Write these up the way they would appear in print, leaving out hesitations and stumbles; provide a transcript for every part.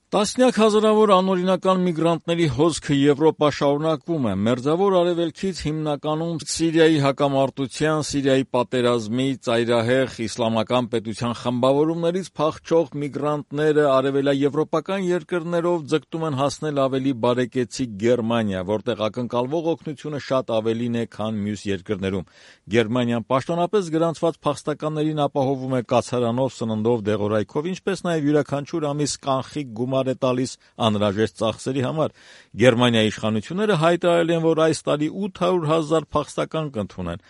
Տասնյակ հազարավոր անօրինական միգրանտների հոսքը Եվրոպա շարունակվում է։ Մերձավոր Արևելքից հիմնականում Սիրիայի հակամարտության, Սիրիայի պատերազմի, ծայրահեղ իսլամական պետության խմբավորումներից փախչող միգրանտները արևելաեվրոպական երկրներով ձգտում են հասնել ավելի բարեկեցիկ Գերմանիա, որտեղ ակնկալվող օգնությունը շատ ավելին է, քան մյուս երկրներում։ Գերմանիան պաշտոնապես գրանցված փախստականներին ապահովում է կացարանով, սննդով, դեղորայքով, ինչպես նաև յուրաքանչյուր ամիս կանխիկ գումար է տալիս անհրաժեշտ ծախսերի համար։ Գերմանիայի իշխանությունները հայտարարել են, որ այս տարի 800,000 փախստական կընդունեն։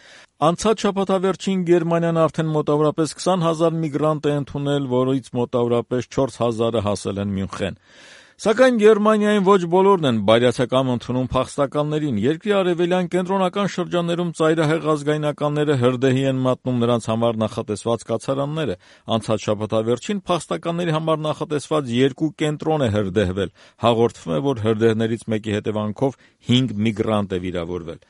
Անցած շաբաթավերջին Գերմանիան արդեն մոտավորապես 20,000 միգրանտ է ընդունել, որից մոտավորապես 4,000-ը հասել են Մյունխեն։ Սակայն Գերմանիային ոչ բոլորն են բարյացակամ ընդունում փախստականներին։ Երկրի արևելյան կենտրոնական շրջաններում ծայրահեղ ազգայնականները հրդեհի են մատնում նրանց համար նախատեսված կացարանները։ Անցած շաբաթավերջին փախստականների համար նախատեսված 2 կենտրոն է հրդեհվել։ Հաղորդվում է, որ հրդեհներից մեկի հետևանքով 5 միգրանտ է վիրավորվել։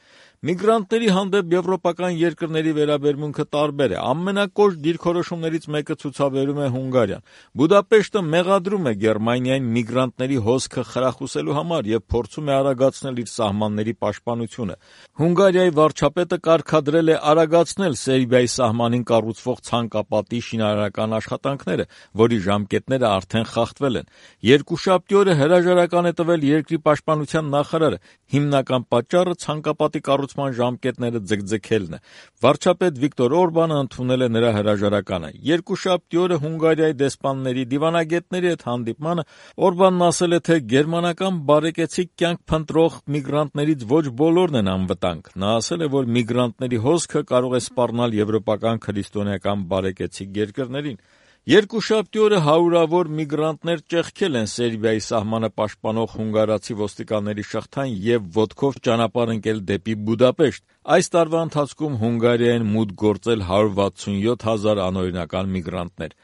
Միգրանտների հանդեպ եվրոպական երկրների վերաբերմունքը տարբեր է։ Ամենակոշտ դիրքորոշումներից մեկը ցուցաբերում է Հունգարիան։ Բուդապեշտը մեղադրում է Գերմանիային միգրանտների հոսքը խրախուսելու համար եւ փորձում է արագացնել իր սահմանների պաշտպանությունը։ Հունգարիայի վարչապետը կարգադրել է արագացնել Սերբիայի սահմանին կառուցվող ցանկապատի շինարարական աշխատանքները, որի ժամկետները արդեն խախտվել են։ Երկուշաբթի օրը հրաժարական է տվել երկրի պաշտպանության նախարարը։ Հիմնական պատճառը ցանկապատի կառուցման ժամկետները ձգձգելն է։ Վարչապետ Վիկտոր Օրբանը ընդունել է նրա հրաժարականը։ Երկուշաբթի օրը Հունգարիայի դեսպանների, դիվանագետների հետ հանդիպմանը Օրբանն ասել է, թե գերմանական բարեկեցիկ կյանք փնտրող միգրանտներից ոչ բոլորն են անվտանգ։ Նա ասել է, որ միգրանտների հոսքը կարող է սպառնալ եվրոպական քրիստոնեական բարեկեցիկ երկրներին։ Երկուշաբթի օրը հարյուրավոր միգրանտներ ճեղքել են Սերբիայի սահմանը պաշտպանող հունգարացի ոստիկանների շղթան եւ ոտքով ճանապարհ ընկել դեպի Բուդապեշտ։ Այս տարվա ընթացքում Հունգարիային մուտք գործել 167,000 անօրինական միգրանտներ։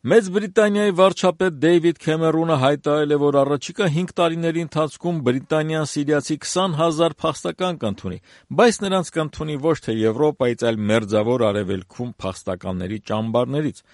Մեծ Բրիտանիայի վարչապետ Դեյվիդ Քեմերունը հայտարարել է, որ առաջիկա 5 տարիների ընթացքում Բրիտանիան սիրիացի 20,000 փախստական կընդունի, բայց նրանց կընդունի ոչ թե Եվրոպայից, այլ Մերձավոր Արևելքում փախստականների ճամբարներից։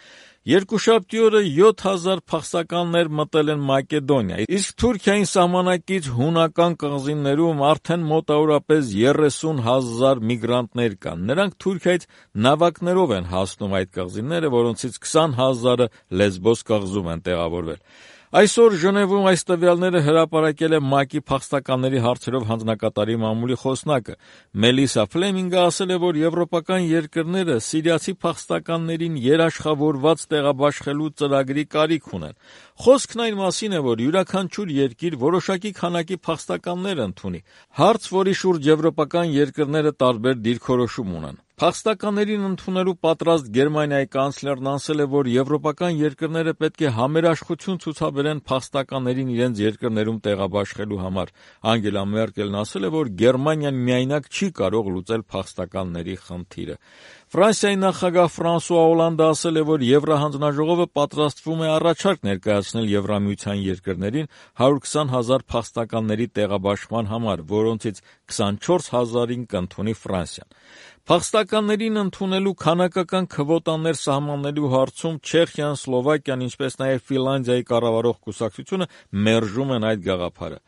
Երկուշաբթի օրը 7,000 փախստականներ մտել են Մակեդոնիա, իսկ Թուրքիային սահմանակից հունական կղզիներում արդեն մոտավորապես 30,000 միգրանտներ կան։ Նրանք Թուրքիայից նավակներով են հասնում այդ կղզիները, որոնցից 20,000-ը Լեսբոս կղզում են տեղավորվել։ Այսօր Ժնևում այս տվյալները հրապարակել է ՄԱԿ-ի փախստականների հարցերով հանձնակատարի մամուլի խոսնակը։ Մելիսա Ֆլեմինգը ասել է, որ եվրոպական երկրները սիրիացի փախստականներին երաշխավորված տեղաբաշխելու ծրագրի կարիք ունեն։ Խոսքն այն մասին է, որ յուրաքանչյուր երկիր որոշակի քանակի փախստականներ ընդունի։ Հարց, որի շուրջ եվրոպական երկրները տարբեր դիրքորոշում ունեն։ Փախստականներին ընդունելու պատրաստ Գերմանիայի կանցլերն ասել է, որ եվրոպական երկրները պետք է համերաշխություն ցուցաբերեն փախստականներին իրենց երկրներում տեղաբաշխելու համար։ Անգելա Մերկելն ասել է, որ Գերմանիան միայնակ չի կարող լուծել փախստականների խնդիրը։ Ֆրանսիայի նախագահ Ֆրանսուଆ Օլանդը ասել է, որ Եվրահանձնաժողովը պատրաստվում է առաջարկ ներկայացնել Եվրամիության երկրներին 120,000 փախստականների տեղաբաշխման համար, որոնցից 24,000-ին կընդունի Ֆրանսիան։ Փախստականներին ընդունելու քանակական քվոտաներ սահմանելու հարցում Չեխիան, Սլովակիան, ինչպես նաև Ֆինլանդիայի կառավարող կուսակցությունը մերժում են այդ գաղափարը։